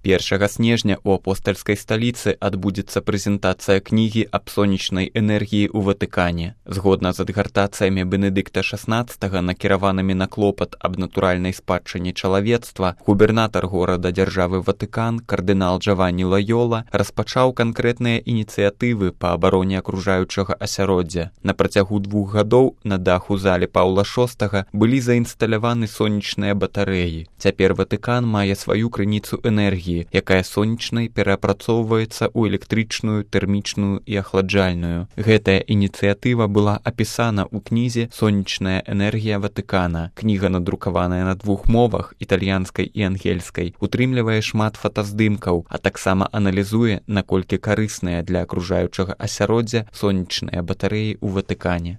1 снежня у апостальскай сталіцы адбудзецца прэзентацыя кнігі аб сонечнай энергіі ў Ватыкане. Згодна з адгартацыямі Бенедыкта XVI, накіраванымі на клопат аб натуральнай спадчыне чалавецтва, губернатар горада дзяржавы Ватыкан, кардынал Джаванні Лайола, распачаў канкрэтныя ініцыятывы па абароне акружаючага асяроддзя. На працягу 2 гадоў на даху залі Паўла VI былі заінсталяваны сонечныя батарэі. Цяпер Ватыкан мае сваю крыніцу энергіі, якая сонечнай перапрацоўваецца ў электрычную, тэрмічную і ахладжальную. Гэтая ініцыятыва была апісана ў кнізе «Сонечная энергія Ватыкана». Кніга, надрукаваная на 2 мовах, італьянскай і ангельскай, утрымлівае шмат фотаздымкаў, а таксама аналізуе, наколькі карысныя для акружаючага асяроддзя сонечныя батарэі ў Ватыкане.